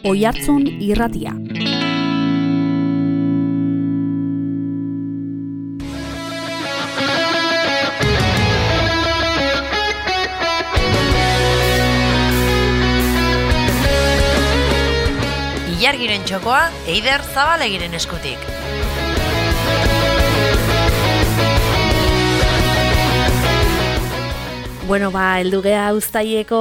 Oihartzun Irratia. Ilargiren txokoa Eider Zabalegiren eskutik. Bueno, heldu gea uztaileko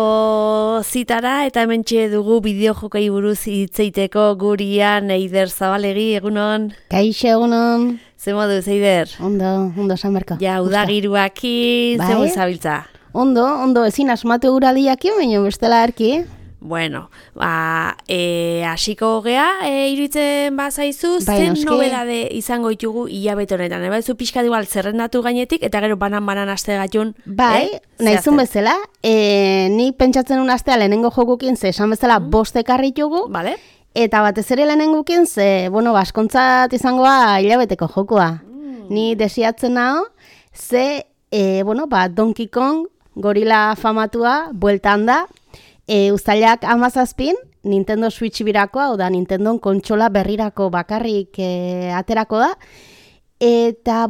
zitara eta hementxe dugu bideojokei buruz hitzeiteko gurian Eider Zabalegi, egunon. Kaixo, egunon. Ze moduz, Eider? Ondo, Sanberko. Ja, udagiruakin, ze moduz zabiltza? Ondo, ezin asmatu guraldiakin, baina bestela erki. Bueno, hasiko gea, iruditzen bazaizu, zen nobedade izango ditugu hilabete honetan. Ebaizu pixka igual zerrendatu gainetik, eta gero banan aste gatun. Bai, nahizun bezala, ni pentsatzen un astea lehenengo jokukin, ze esan bezala bost ekarritugu, vale. Eta batez ere lehenengukin, ze, baskontzat izangoa hilabeteko jokua. Ni desiatzen naho, ze, Donkey Kong, gorila famatua, bueltan da, uztailak 17, Nintendo Switch birakoa, oda Nintendo kontsola berrirako bakarrik aterako da. Eta,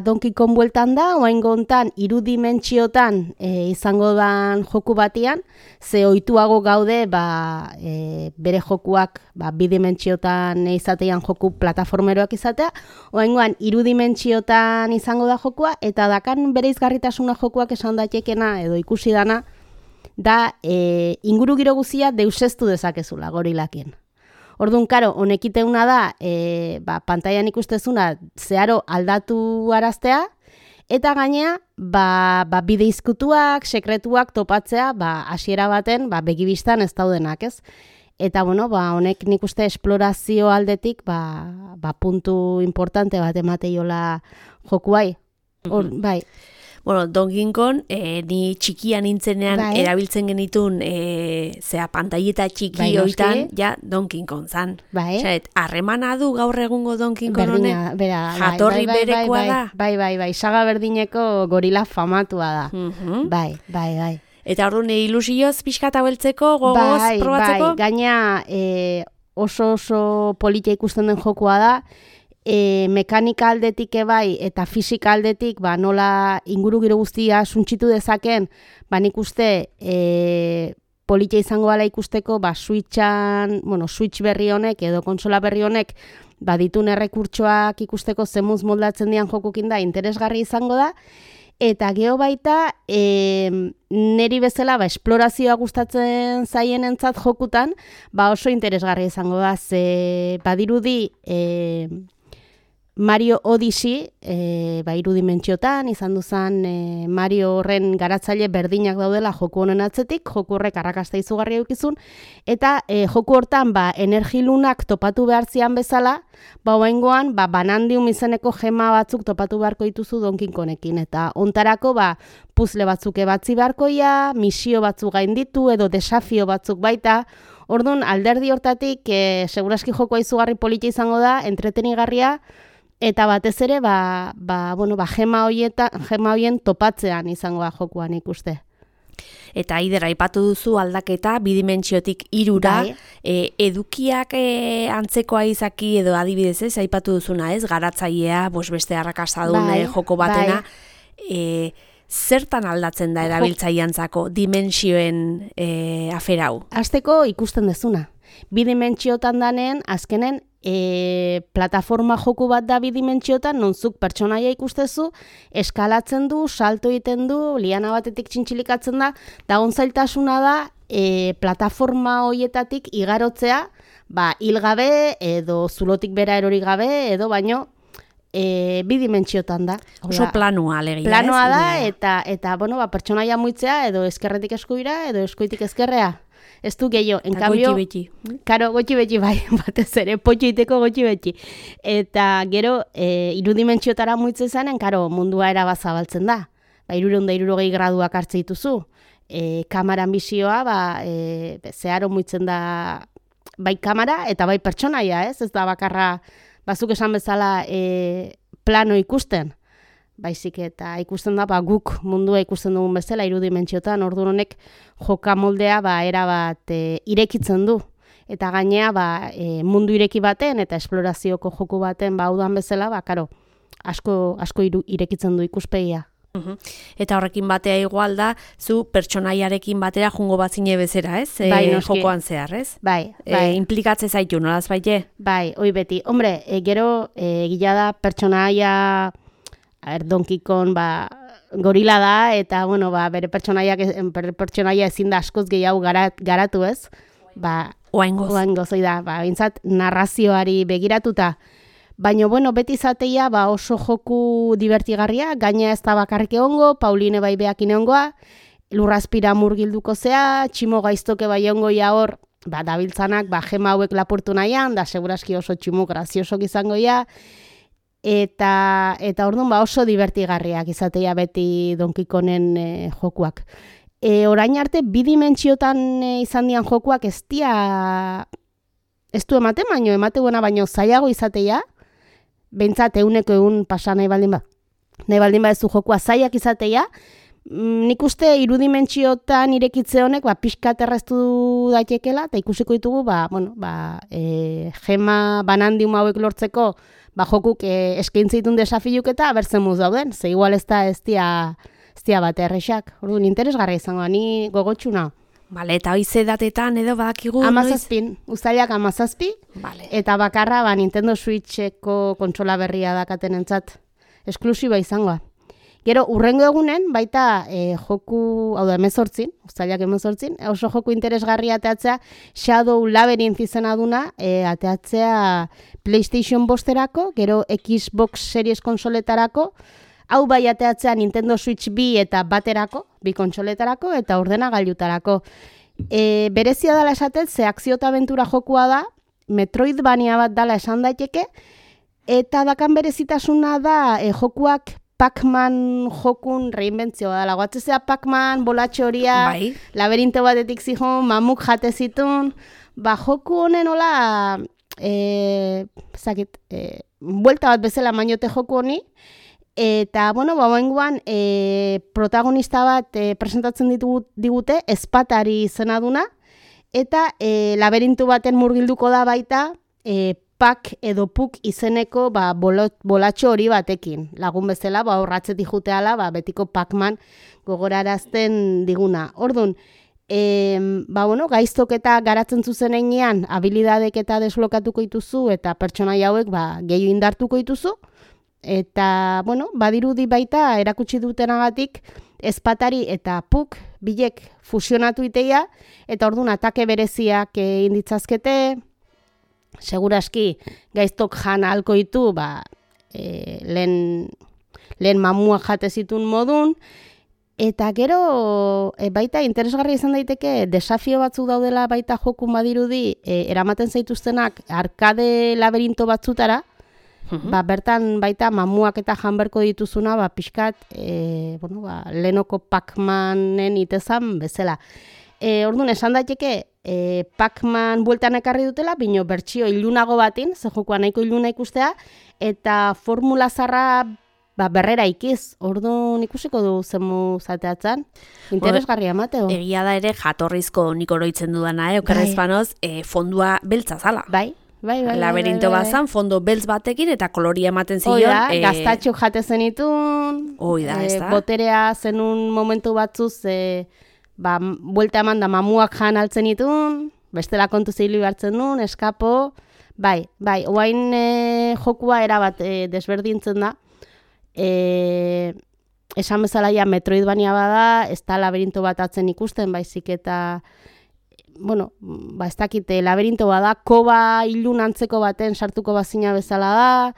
Donkey Kong bueltan da, oraingo hontan 3 dimentsiotan izango dan joku batian, ze ohituago gaude bere jokuak 2 dimentsiotan izatean joku plataformeroak izatea, oraingoan 3 dimentsiotan izango da jokua, eta dakan bereizgarritasuna jokuak esan daitekena edo ikusi dana, da inguru giro guzia deusestu dezakezula gorilakin. Orduan, karo, honekiteuna da, pantailan ikustezuna zeharo aldatu araztea, eta gainea, bide izkutuak, sekretuak topatzea, hasiera baten, begibistan ez daudenak, ez? Eta, honek nik uste esplorazio aldetik, puntu importante bat emateiola jokuai. Bai. Bueno, Donkey Kong, ni txikia nintzenean erabiltzen genitun, pantaileta txiki hoitan, ja, Donkey Kong zan. Harremana du gaur egungo Donkey Kong honek? Jatorri berekoa da? Bai, saga berdineko gorila famatua da. Bai. Eta orduan ilusioz pixkat haueltzeko, gogoz probatzeko? Bai, gaina oso politia ikusten den jokua da, mekanika aldetik bai eta fisika aldetik nola inguru giro guztia suntxitu dezaken, nik uste politia izango gala ikusteko Switch berri honek edo kontsola berri honek ditun errekurtsoak ikusteko zemuz moldatzen dian jokukin da interesgarri izango da. Eta geho baita, neri bezala esplorazioa gustatzen zaienentzat jokutan, oso interesgarri izango da, ze badirudi Mario Odyssey, 3 dimentsiotan, izan duzan Mario horren garatzaile berdinak daudela joku honen atzetik, joku horrek arrakasta izugarria eukizun, eta joku hortan energilunak topatu behar zian bezala, oraingoan Banandium izeneko gema batzuk topatu beharko dituzu Donkey Kongekin, eta ontarako puzzle batzuk ebatzi beharkoia, misio batzuk gainditu edo desafio batzuk baita. Orduan, alderdi hortatik, seguraski jokoa izugarri politia izango da, entretenigarria, eta batez ere, gema horien topatzean izango da jokuan ikuste. Eta Eider, aipatu duzu aldaketa, 2 dimentsiotik 3ra, edukiak antzekoa izaki edo adibidez ez, aipatu duzuna ez, garatzailea, beste arrakasadun joko batena, zertan aldatzen da erabiltzaileantzako dimentsioen aferau? Hasteko ikusten dezuna. 2 dimentsiotan danen, azkenen, plataforma joku bat da 2 dimentsiotan, nonzuk pertsonaia ikustezu, eskalatzen du, salto egiten du, liana batetik txintxilikatzen da onzailtasuna da, plataforma hoietatik igarotzea, hilgabe, edo zulotik bera erori gabe, edo baino, 2 dimentsiotan da. Oso planoa alegia. Planoa da, eta pertsonaia muitzea, edo eskerretik eskuira, edo eskuitik eskerrea. Ez du gehiago, en cambio... Gotxi beti. Karo, gotxi beti bai, batez ere, potxoiteko gotxi beti. Eta gero, 3 dimentsiotara muitze zanen, karo, mundua erabazabaltzen da. 360 graduak hartze dituzu. Kamaran bizioa, zeharo muitzen da bai kamera eta bai pertsonaia, ez da bakarra, bazuk esan bezala plano ikusten. Baizik eta ikusten da, guk mundua ikusten dugun bezala, 3 dimentsiotan, orduan honek joka moldea era bat irekitzen du. eta gainea mundu ireki baten eta esplorazioko joku baten udan bezala, karo, asko irekitzen du ikuspegia. Eta horrekin batea igual da, zu pertsonaiarekin batera jungo batzine bezera, ez? Jokoan zehar, ez? Bai. Implikatze zaitu, nolaz baite? Bai, hoi beti. Hombre, gero, gila da pertsonaia, Donkey Kong, gorila da, eta, bueno, bere pertsonaia ezin da askoz gehiago garatu, ez? Oaingoz, hoi da, bintzat narrazioari begiratuta. Baina, bueno, beti zateia oso joku divertigarria, gaina ez da bakarrik egongo, Pauline bai beakin egongoa, lurrazpira murgilduko zea, tximo gaiztoke bai egongoia hor, dabiltzanak, jema hauek lapurtu nahian, da seguraski oso tximo graziosok izangoia, eta orduan oso divertigarriak izateia beti Donkey Kongen jokuak. Orain arte, bidimentsiotan izan dian jokuak ez du ematen, baino zailago izateia, behintzat egun pasa nahi baldin ez du jokua zailak izateia, nik uste irudimentsiotan irekitze honek pixkat erreztu daitekela, eta ikusiko ditugu, gema banandium hauek lortzeko, jokuk eskaintzitun desafiuk eta bertzen muz dauden, ze igual ez dia bat errexak, orduan interesgarra izango, ni gogotxuna. Bale, eta hoize datetan edo badakigu? 17, uztailak 17, vale. Eta bakarra Nintendo Switcheko kontsola berria dakaten entzat, esklusiba izangoa. Gero, urrengo egunen, baita joku, hau da, 18, uztailak 18, oso joku interesgarria ateatzea, Shadow Labyrinth izena duna, ateatzea PlayStation bosterako, gero Xbox Series konsoletarako, hau bai ateatzea Nintendo Switch 2 eta baterako, bi kontsoletarako eta ordenagailutarako. Berezia dela esaten, ze akzio eta abentura jokua da, Metroidvania bat dela esan daiteke, eta dakan berezitasuna da jokuak Pac-Man jokun reinbentzioa dela. Goatzezea Pac-Man, bolatxo horia, laberinto batetik zihon, mamuk jate zitun, joku honen hola, buelta bat bezala mainote joku honi, eta, bueno, bagoengoan protagonista bat presentatzen digute, espatari izena duna, eta laberintu baten murgilduko da baita, Pak edo Puk izeneko bolatxo hori batekin. Lagun bezala, horratzetik juteala, betiko Pac-Man gogorarazten diguna. Orduan, gaiztok eta garatzen zuzen einean, habilidadek eta deslokatuko dituzu, eta pertsonai hauek gehiago indartuko dituzu, eta, badirudi baita erakutsi dutenagatik espatari eta Puk bilek fusionatu iteia, eta orduan atake bereziak inditzazkete, seguraski gaiztok jan ahalko ditu, lehen mamuak jate zitun modun, eta gero baita interesgarria izan daiteke desafio batzuk daudela baita jokun badirudi eramaten zaituztenak arkade laberinto batzutara, bertan baita mamuak eta janberko dituzuna pixkat lehenoko Pac-Manen itezan bezala. Orduan, esan daiteke Pac-Man bueltan ekarri dutela, bino bertsio ilunago batin, ze jokoa nahiko iluna ikustea, eta formula zarra berrera ikiz. Orduan, ikusiko du zemu zateatzen. Interesgarria emateo. Egia da ere jatorrizko nik oroitzen dudana, okerrezpanoz, fondua beltza zala. Bai. Laberinto bazan, fondo beltz batekin eta koloria ematen zion. Gaztatxo jate zenitun. Boterea zenun momentu batzuz, buelta eman da mamuak jan altzen itun, bestela kontu zeilu hartzen duen, eskapo, oain jokua erabat desberdintzen da, esan bezala ja Metroidvania bada, ez da laberinto bat atzen ikusten, baizik eta, ez dakite, laberinto bada, koba ilun antzeko baten sartuko bazina bezala da,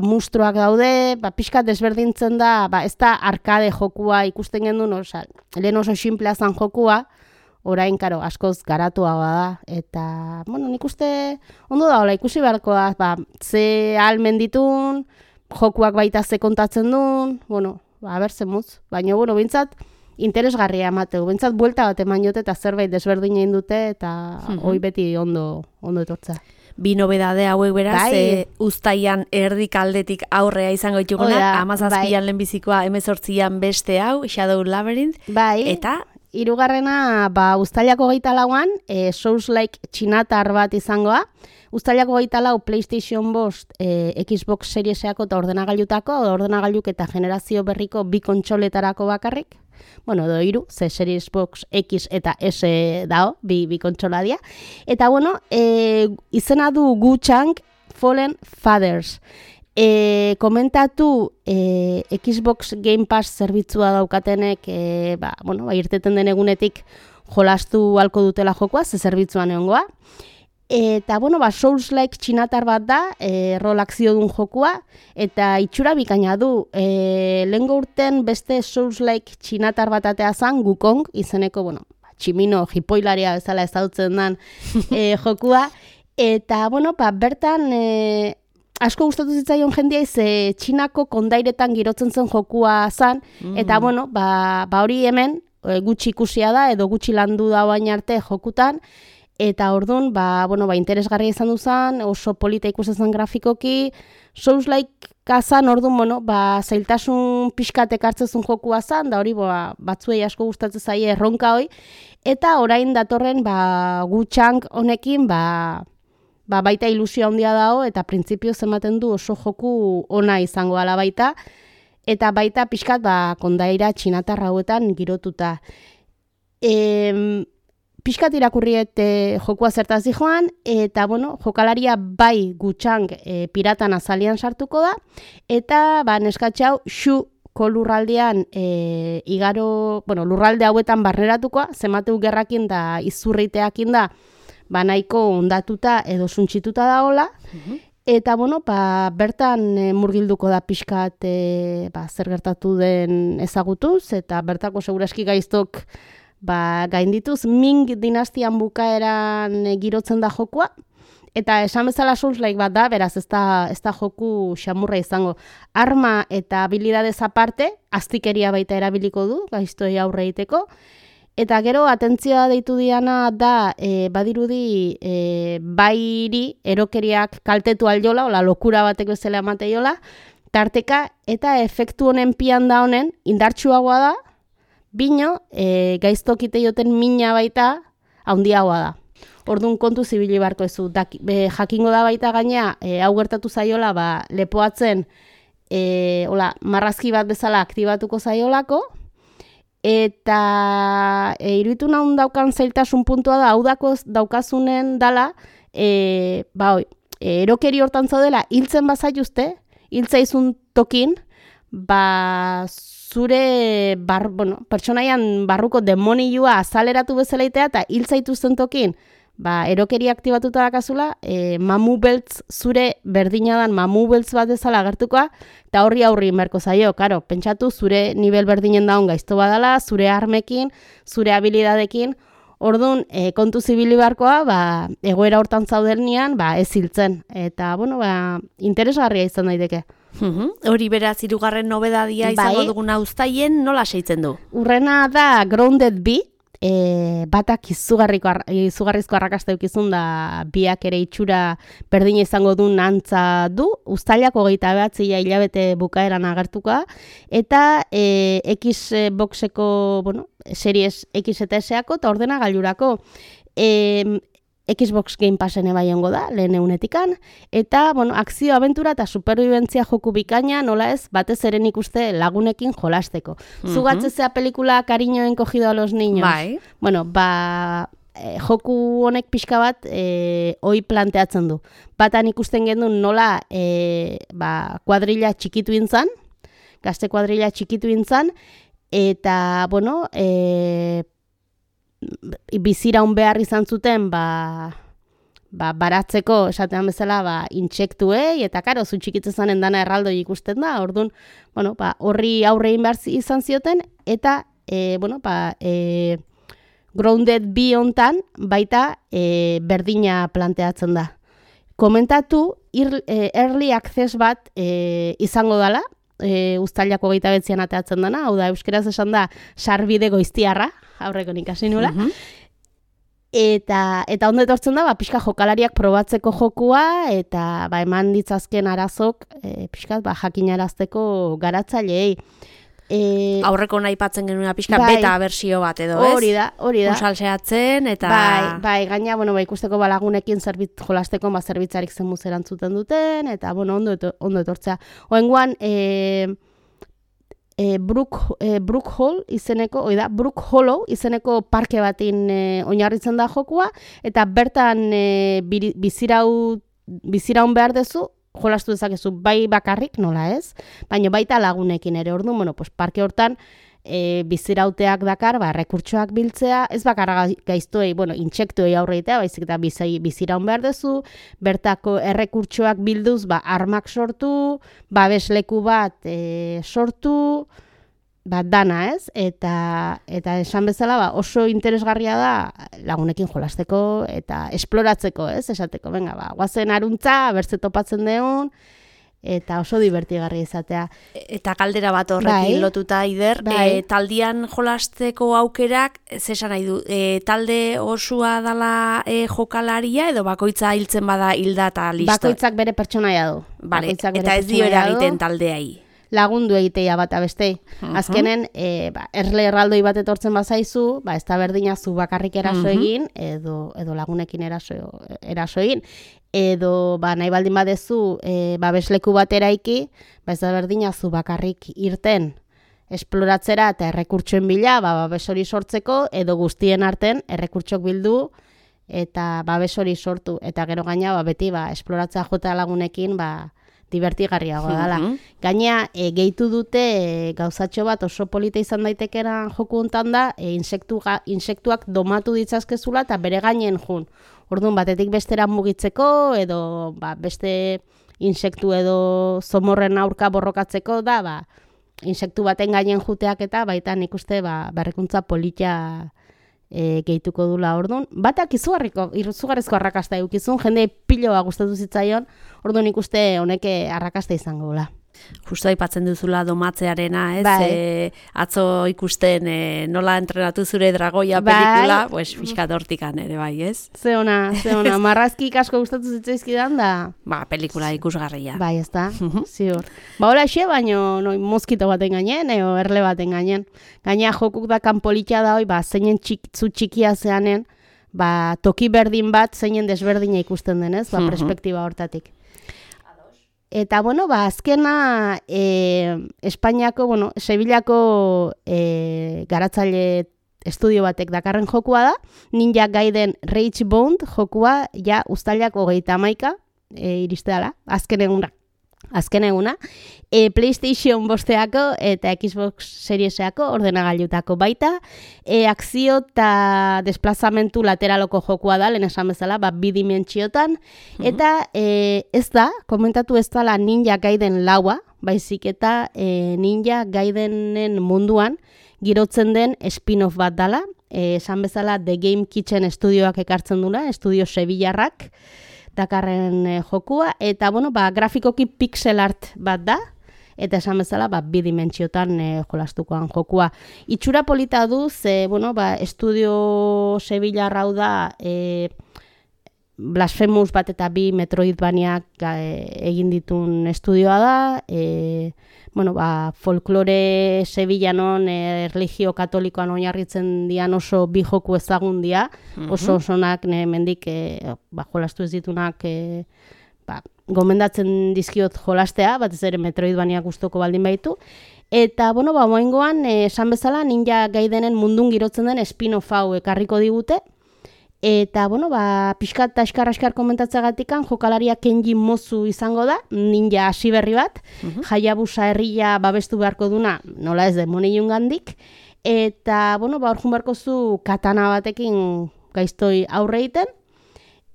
mustruak daude, pixkat desberdintzen da, ez da arkade jokua ikusten gendun, lehen oso simplea zan jokua, orain, karo, askoz garatua da, eta, nik uste, ondo da, ikusi beharko da, ze almen ditun, jokuak baita ze kontatzen duen, berzen mutz, baina, bintzat, interesgarria emateu, bintzat, buelta bat eman jote, eta zerbait desberdinen dute, eta hoi beti ondo etortza. Bi nobedade hauek beraz, uztaian erdik aldetik aurrea izango dituguna, 17an lehenbizikoa, 18an beste hau, Shadow Labyrinth, eta hirugarrena, uztailako 24an, Souls-like txinatar bat izangoa. Uztailako 24 PlayStation 5, Xbox Serieseko eta ordenagailuk eta generazio berriko bi kontsoletarako bakarrik. Bueno, edo hiru, ze Series Box X eta S dao, bi kontsola dia. Eta bueno, izena du Wu-Chang Fallen Fathers. Komentatu Xbox Game Pass zerbitzua daukatenek, irteten den egunetik jolastu halko dutela jokoa, ze zerbitzuan egongoa. Eta, Souls-like txinatar bat da, rol akziodun jokua, eta itxura bikaina du. Lehengo urten beste Souls-like txinatar bat atea zan, Wukong, izeneko, tximino, jipoilaria bezala ezagutzen den jokua. Eta, bertan, asko gustatu zitzaion jendia ze Txinako kondairetan girotzen zen jokua zan, eta, hori hemen gutxi ikusia da, edo gutxi landu da baina arte jokutan, eta orduan, interesgarria izan duzan, oso polita ikusten grafikoki, Souls-like kazan, orduan, zailtasun pixkatek hartzezun jokua zan, da hori, batzuei asko gustatzen zaie erronka hoi, eta orain datorren, Wu-Chang honekin, baita ilusio handia dago, eta printzipio ematen du oso joku ona izango ala baita, eta baita pixkat, kondaira txinatar hauetan girotuta. Piskat irakurriet jokua zertaz joan, eta jokalaria bai Wu-Chang piratan azalian sartuko da, eta neskatxau Shuko lurraldean lurralde hauetan barneratukoa, zemateu gerrakin da izurriteakin da, nahiko ondatuta edo suntxituta daola, eta bertan murgilduko da pixkat zer gertatu den ezagutuz, eta bertako seguraski gaiztok gaindituz, Ming dinastian bukaeran girotzen da jokua, eta esan bezala Souls-like bat da, beraz ez da joku xamurra izango. Arma eta habilidadez aparte, aztikeria baita erabiliko du, gaiztoi aurre egiteko, eta gero atentzioa deitu diana da, badirudi bairi erokeriak kaltetu aljola, ola lokura batek bezala emateiola, tarteka, eta efektu honen pian da honen, indartsuagoa da, bino, gaiztokite joten mina baita, handiagoa da. Orduan kontu zibili barko ezu. Jakingo da baita gaina, hau gertatu zaiola, lepoatzen, marrazki bat bezala aktibatuko zaiolako, eta iruditu nahun daukan zailtasun puntua da, hau daukazunen dala, erokeri hortan zaudela, hiltzen bazaituzte, hiltzaizun tokin, zure pertsonaian barruko demonioa azaleratu bezalaitea eta hiltzaituzten tokin, erokeri aktibatuta dakazula, mamu beltz zure berdinadan mamu beltz bat bezala agertukoa, eta horri inberko zaio, karo, pentsatu zure nivel berdinen daun gaizto badala, zure armekin, zure habilidadekin, orduan kontu zibili barkoa, egoera hortan zaudelnian, ez hiltzen, eta, interesgarria izan daiteke. Hori beraz, hirugarren nobedadia izango duguna uztaien, nola seitzen du? Urrena da Grounded B, batak izugarrizko arrakasta eukizun da biak ere itxura berdina izango du antza du, uztailako 29 hilabete bukaeran agertuka, eta Xboxeko, Series X eta S-ako eta ordenagailurako. Xbox Game Passen bai ongo da, lehen egunetikan, eta, akzio, abentura eta superbibentzia joku bikaina, nola ez, batez eren ikuste lagunekin jolasteko. Zugatzezea pelikula Cariño encogido a los niños. Bai. Joku honek pixka bat hoi planteatzen du. Batan ikusten genuen nola kuadrilla txikitu intzan, gazte kuadrilla txikitu intzan, eta, biziraun behar izan zuten baratzeko esatean bezala intsektuei, eta karo, zu txikitzen zanen dana erraldoi ikusten da, orduan, horri aurrein behar izan zioten, eta, Grounded B hontan baita berdina planteatzen da. Komentatu, early access bat izango dela, uztailako 29an ateatzen dana, hau da, euskeraz esan da, sarbide goiztiarra, aurreko ikasi nula. Eta ondo etortzen da, pixka jokalariak probatzeko jokua, eta eman ditzazken arazok, pixka jakinarazteko garatzaileei. Aurreko nahi patzen genuen pixka beta bersio bat edo, ez? Hori da. Salseatzen eta... Bai, gaina, ikusteko lagunekin jolasteko zerbitzarik zen muzeran zuten duten, eta, ondo etortzea. Oengoan, Brook Hall izeneko, Brook Hollow izeneko parke batin oinarritzen da jokua, eta bertan biziraun behar dezu, jolastu dezakezu bai bakarrik, nola ez? Baina baita lagunekin ere, orduan, parke hortan bizirauteak dakar, errekurtsoak biltzea, ez bakarra gaiztoei, intsektuei aurreitea, baizik eta biziraun behar dezu, bertako errekurtsoak bilduz, armak sortu, babesleku bat sortu, dana, ez? Eta esan bezala, oso interesgarria da lagunekin jolasteko eta esploratzeko, ez? Esateko, guazen aruntza, bertze topatzen deun, eta oso divertigarria izatea. Eta kaldera bat horrekin lotuta, Aider, taldian jolasteko aukerak, zesan nahi du, talde osua dala jokalaria, edo bakoitza hiltzen bada hilda eta listo? Bakoitzak bere pertsonaia du. Eta ez dio eragiten taldeai? Lagundu egitea bat abestei. Azkenen, erle erraldoi bat etortzen bazaizu, ez da berdina zu bakarrik eraso egin, edo lagunekin eraso egin. Edo nahi baldin badezu babesleku bat eraiki, ez da berdina zu bakarrik irten esploratzera eta errekurtsoen bila, babes hori sortzeko, edo guztien arten errekurtsok bildu eta babes hori sortu. Eta gero gaina, beti esploratzea jota lagunekin, divertigarriago dela. Gaina, gehitu dute gauzatxo bat oso polita izan daitekera joku hontan da, insektuak domatu ditzazkezula eta bere gainen jun. Orduan, batetik bestera mugitzeko, edo beste insektu edo zomorren aurka borrokatzeko da, insektu baten gainen juteak eta baita nik uste berrikuntza polita gehituko dula orduan. Batak izugarrizko arrakasta eukizun, jende piloa gustatu zitzaion, orduan ikuste honeke arrakasta izango dula. Justo aipatzen duzula domatzearena, ez? Atzo ikusten nola entrenatu zure dragoia pelikula, pixkat hortikan ere, bai, ez? Ze ona, marrazki asko gustatu zitzaizkidan da? Pelikula ikusgarria. Bai, ez da, ziur. Hola xe, baino moskito baten gainen, eo erle baten gainen. Gaina jokuk da kanpolitxa da hoi, zeinen zu txikia zeanen, toki berdin bat zeinen desberdina ikusten denez, perspektiba hortatik. Eta, azkena Espainiako, Sevillako garatzaile estudio batek dakarren jokua da, Ninja Gaiden Rage Bound jokua, uztailak 31 iriste dela, azken eguna, PlayStation 5 eta Xbox Serieseako ordenagailutako baita, akzio eta desplazamentu lateraloko jokua da, lehen esan bezala, bidimentsiotan, eta ez da, komentatu ez dala Ninja Gaiden laua, baizik eta Ninja Gaidenen munduan girotzen den spin-off bat dala, esan bezala The Game Kitchen estudioak ekartzen dula, estudio sevillarrak, dakarren jokua, eta, grafikoki pixel art bat da, eta esan bezala, bidimentsiotan jolastukoan jokua. Itxura polita du, ze, estudio sevillarra hau da, Blasphemous bat eta 2 Metroidvaniak egin ditun estudioa da, folklore sevillanon erlijio katolikoan oinarritzen dian oso bi joku ezagun dia, oso osonak mendik jolastu ez ditunak gomendatzen dizkiot jolastea, batez ere Metroidvania gustoko baldin baitu. Eta, moengoan, esan bezala, Ninja Gaidenen mundun girotzen den spin-off hau ekarriko digute. Eta, pixkat eta eskar komentatzegatikan, jokalaria Kenji Mozu izango da, ninja hasi berri bat, Hayabusa herria babestu beharko duna, nola ez demoneiun gandik, eta, hor jun beharko zu katana batekin gaiztoi aurreiten,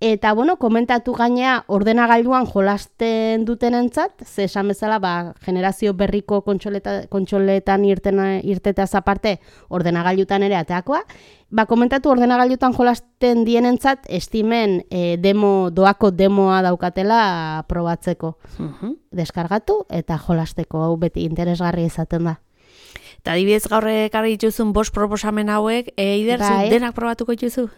eta, komentatu gainea ordenagailuan jolasten dutenentzat, ze esan bezala, generazio berriko kontsoletan irtetaz aparte ordenagailutan ere ateakoa, komentatu ordenagailutan jolasten dienentzat estimen doako demoa daukatela probatzeko. Deskargatu eta jolasteko, hau beti interesgarria izaten da. Eta adibidez gaur ekarri dituzun 5 proposamen hauek, Eider, denak probatuko dituzu?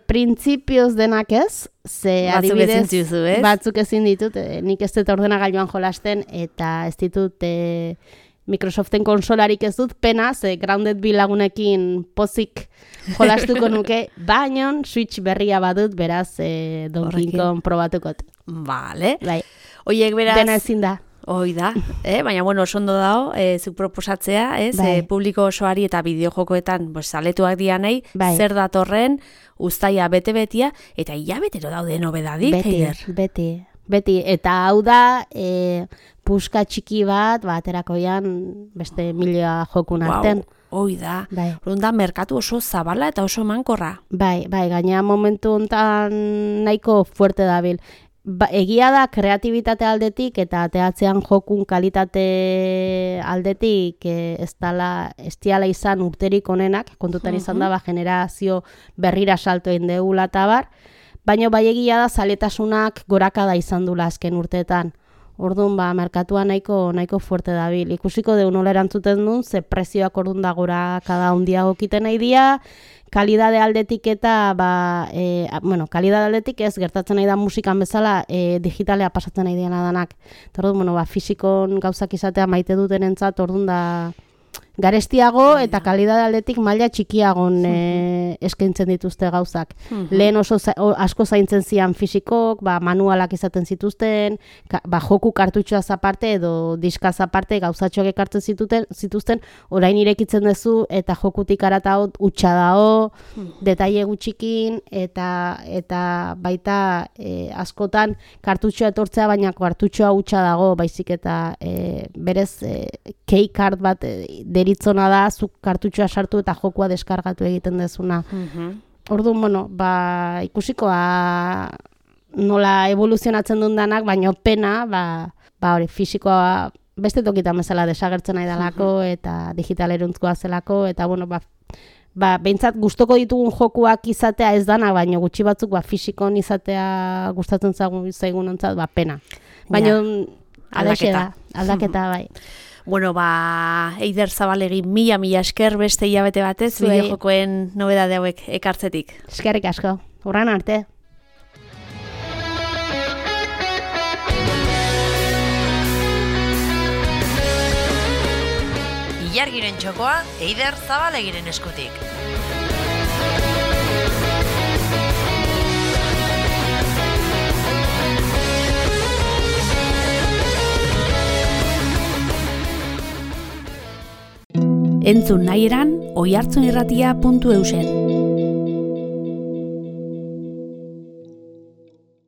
Printzipioz denak ez, ze adibidez batzuk ezin ditut, nik ez dut ordenagailuan jolasten eta ez ditut Microsoften konsolarik ez dut, pena, ze Grounded bi lagunekin pozik jolastuko nuke, baina Switch berria badut, beraz Donkey Kong probatukot. Vale. Bai. Oiek beraz... Dena ezin da. Hoi da, baina bueno, oso ondo dago, zuk proposatzea, publiko osoari eta bideojokoetan saletuak dianei, zer datorren, uztaia bete-betia, eta hilabetero daude nobedadik, Beti, eta hau da, puska txiki bat, aterakoian beste milioa jokun arten. Hoi da, da merkatu oso zabala eta oso mankorra. Bai, gaina momentu honetan nahiko fuerte dabil. Egia da kreatibitate aldetik eta teatzean jokun kalitate aldetik ez diala izan urterik onenak, kontutan izan da generazio berrira salto egin degula eta bar, baina bai egia da zaletasunak gorakada izan dula azken urteetan. Orduan, merkatua nahiko fuerte dabil. Ikusiko deun nola erantzuten duen, ze prezioak orduan da gorakada handiago kiten nahi dia, kalidade aldetik eta, kalidade aldetik ez gertatzen nahi da musikan bezala digitalea pasatzen nahi diena danak. Orduan, fisikon gauzak izatea maite duten entzat, orduan da garestiago eta kalidade aldetik maila txikiagon eskaintzen dituzte gauzak. Lehen oso asko zaintzen zian fisikok, manualak izaten zituzten, joku kartutxoaz aparte edo diskaz aparte gauzatxoak ekartzen zituzten, orain irekitzen duzu eta jokutik arata utxa dao, detaile gutxikin eta baita askotan kartutxoa etortzea, baina kartutxoa utxa dago, baizik eta berez key card bat deritzona da, zuk kartutxoa sartu eta jokua deskargatu egiten dezuna. Orduan, ikusikoa nola evoluzionatzen duen danak, baina pena, hori, fisikoa beste tokitan bezala desagertzen nahi dalako eta digitaleruntzkoa zelako, eta behintzat gustoko ditugun jokuak izatea ez dana, baina gutxi batzuk fisikon izatea gustatzen zaigun ontzat, pena. Baina aldaketa bai. Bueno, Eider Zabalegi mila esker beste hilabete batez, bideojokoen nobedade hauek ekartzetik. Eskerrik asko, urran arte. Ilargiren txokoa, Eider Zabalegiren eskutik. Entzun nahi eran, oihartzunirratia.eusen.